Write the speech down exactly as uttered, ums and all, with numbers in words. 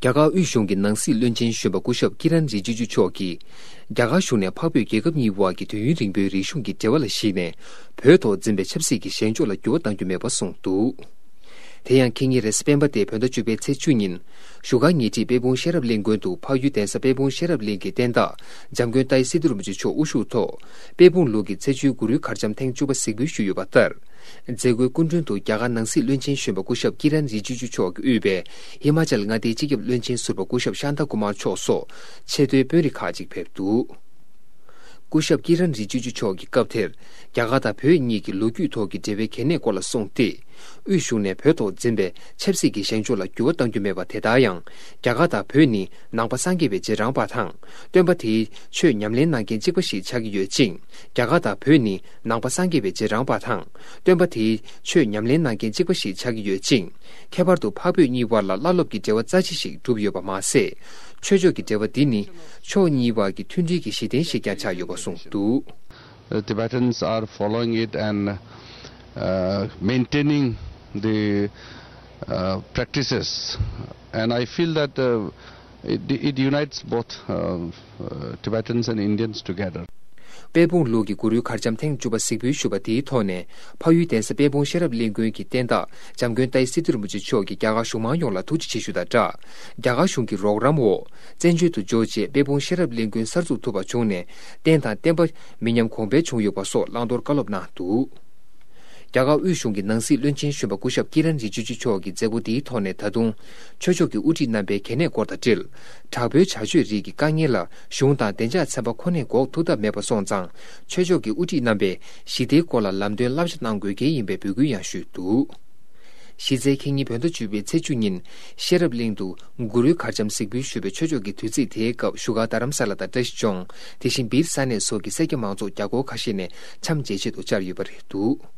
རྒྱ་གར་དབུས་གཞུང་གི་ནང་སྲིད་བློན་ཆེན་གཞོན་པ་སྐུ་ཞབས་ཀི་རན་རི་ཇི་ཇུ་མཆོག་གིས། རྒྱ་གར་གཞུང་ནས་འཕགས་བོད་རྒྱལ་ཁབ་གཉིས་དབར་གྱི་དུས་ཡུན་རིང་པོའི་རིག་གཞུང་གི་འབྲེལ་བ་ལ་གཞིགས་ནས། བོད་ཐོག་འཛིན་པའི་ཆབ་སྲིད་ཀྱི་བཞེངས་ཕྱོགས་ལ་འགྱུར་བ་གཏང་རྒྱུ་མེད་པ་གསུངས་འདུག། དེ་ཡང་ཁེ་ཉིན་རེས་གཟའ་སྤེན་པ་སྟེ་བོད་ཟླ་བཅུ་པའི་ཚེས་བཅུ་ཉིན། བཞུགས་སྒར་ཉེ་འཁྲིས་དཔལ་སྤུངས་ཤེས་རབ་གླིང་དགོན་དུ་འཕགས་ཡུལ་གདན་ས་དཔལ་སྤུངས་ཤེས་རབ་གླིང་གི་བསྟན་བདག་འཇམ་མགོན་ཏཱའི་སི་ཏུ་རིན་པོ་ཆེ་མཆོག་དབུ་བཞུགས་ཐོག། དཔལ་སྤུངས་ལུགས་ཀྱི་ཚེས་བཅུའི་གུ་རུའི་གར་འཆམ་ཐེངས་བཅུ་པ་གཟིགས་འབུལ་ཞུས་ཡོད་པ་ལྟར། མཛད་སྒོའི་སྐུ་མགྲོན་དུ་རྒྱ་གར་ནང་སྲིད་བློན་ཆེན་གཞོན་པ་སྐུ་ཞབས་ཀི་རན་རི་ཇི་ཇུ་མཆོག་གིས་དབུས་པའི་ཧི་མ་ཅལ་མངའ་སྡེའི་སྤྱི་ཁྱབ་བློན་ཆེན་ཟུར་པ་སྐུ་ཞབས་ཤཱན་ཏཱ་ཀུ་མཱར་མཆོག་སོགས་ཆེས་མཐོའི་དཔོན་རིགས་ཁག་ཅིག་ཕེབས་འདུག། སྐུ་ཞབས་ཀི་རན་རི་ཇི་ཇུ་མཆོག་གིས་སྐབས་དེར། རྒྱ་གར་དང་བོད་གཉིས་ཀྱི་ལོ་རྒྱུས་ཐོག་གི་འབྲེལ་བའི་གལ་གནད་སྐོར་ལ་གསུངས་ཏེ། དབུས་གཞུང་ནས་བོད་ཐོག་འཛིན་པའི་ཆབ་སྲིད་ཀྱི་བཞེངས་ཕྱོགས་ལ་འགྱུར་བ་གཏང་རྒྱུ་མེད་པ་དེ་ལྟར་ཡང་། རྒྱ་གར་དང་བོད་ནི་ནང་པ་སངས་རྒྱས་པའི་རྗེས་འབྲང་པ་དང་། སྟོན་པ་དེའི་ཆོས་ཉམས་ལེན་གནང་མཁན་གཅིག་པ་ཞིག་ཆགས་ཀྱི་ཡོད་ཅིང་། རྒྱ་གར་དང་བོད་ནི་ནང་པ་སངས་རྒྱས་པའི་རྗེས་འབྲང་པ་དང་། སྟོན་པ་དེའི་ཆོས་ཉམས་ལེན་གནང་མཁན་གཅིག་པ་ཞིག་ཆགས་ཀྱི་ཡོད་ཅིང་། ཁྱད་པར་དུ་འཕགས་བོད་གཉིས་དབར་ལ་བླ་སློབ་ཀྱི་འབྲེལ་བ་རྩ་ཆེ་ཞིག་གྲུབ་ཡོད་པ་མ་ཟད། ཆོས་ཕྱོགས་ཀྱི་འབྲེལ་བ་འདི་ནི་ཕྱོགས་གཉིས་དབར་གྱི་མཐུན་སྒྲིལ་གྱི་གཞི་རྟེན་ཞིག་ཀྱང་ཆགས་ཡོད་པ་གསུངས་འདུག། The Tibetans are following it and uh, maintaining the uh, practices. And I feel that uh, it, it unites both uh, uh, Tibetans and Indians together. དཔལ་སྤུངས་ལུགས་ཀྱི་གུ་རུའི་གར་འཆམ་ཐེངས་བཅུ་པ་གཟིགས་འབུལ་ཞུས་པ་དེའི་ཐོག་ནས། འཕགས་ཡུལ་གདན་ས་དཔལ་སྤུངས་ཤེས་རབ་གླིང་དགོན་གྱི་བསྟན་བདག་འཇམ་མགོན་ཏཱའི་སི་ཏུ་རིན་པོ་ཆེ་མཆོག་གིས་རྒྱ་གར་གཞུང་མང་ཡོངས་ལ་ཐུགས་རྗེ་ཆེ་ཞུ་དང་སྦྲགས། རྒྱ་གར་གཞུང་གི་རོགས་རམ་འོག། བཙན་བྱོལ་དུ་འབྱོར་རྗེས་དཔལ་སྤུངས་ཤེས་རབ་གླིང་དགོན་གསར་འཛུགས་ཐུབ་པ་བྱུང་ནས། རྟེན་དང་བརྟེན་པ་མི་ཉམས་གོང་འཕེལ་བྱུང་ཡོད་པ་སོགས་བླང་དོར་བཀའ་སློབ་གནང་འདུག། རྒྱ་གར་དབུས་གཞུང་གི་ནང་སྲིད་བློན་ཆེན་གཞོན་པ་སྐུ་ཞབས་ཀི་རན་རི་ཇི་ཇུ་མཆོག་གིས་མཛད་སྒོ་འདིའི་ཐོག་ནས་ད་དུང་། ཆོས་ཕྱོགས་ཀྱི་དབུ་ཁྲིད་རྣམ་པའི་གལ་གནད་སྐོར་དང་འབྲེལ། དྲག་པོའི་བྱ་སྤྱོད་རིགས་ཀྱི་དཀའ་ངལ་ལ་གཞུང་དང་བདེ་འཇགས་ཚན་པ་ཁོ་ནས་འགོག་ཐུབ་ཐབས་མེད་པ་སོང་ཙང་། ཆོས་ཕྱོགས་ཀྱི་དབུ་ཁྲིད་རྣམ་པས་ཞི་བདེའི་སྐོར་ལ་ལམ་སྟོན་བསླབ་བྱ་གནང་དགོས་གལ་ཡིན་པའི་འབོད་སྐུལ་ཡང་ཞུས་འདུག། གཞི་རྩའི་ཁེ་ཉིན་བོད་ཟླ་བཅུ་པའི་ཚེས་བཅུ་ཉིན། ཤེས་རབ་གླིང་དུ་གུ་རུའི་གར་འཆམ་གཟིགས་འབུལ་ཞུས་པའི་ཆོས་ཕྱོགས་ཀྱི་དུས་ཚིགས་དེའི་སྐབས་བཞུགས་སྒར་རྡ་རམ་ས་ལ་དང་བཀྲ་ཤིས་ལྗོངས། དེ་བཞིན་སྦིར་ས་གནས་སོགས་ཀྱི་སེར་སྐྱ་མང་ཚོགས་རྒྱ་སྒོར་ཁ་ཤས་ནས་འཆམ་མཇལ་ཆེད་དུ་བཅར་ཡོད་པ་རེད་འདུག།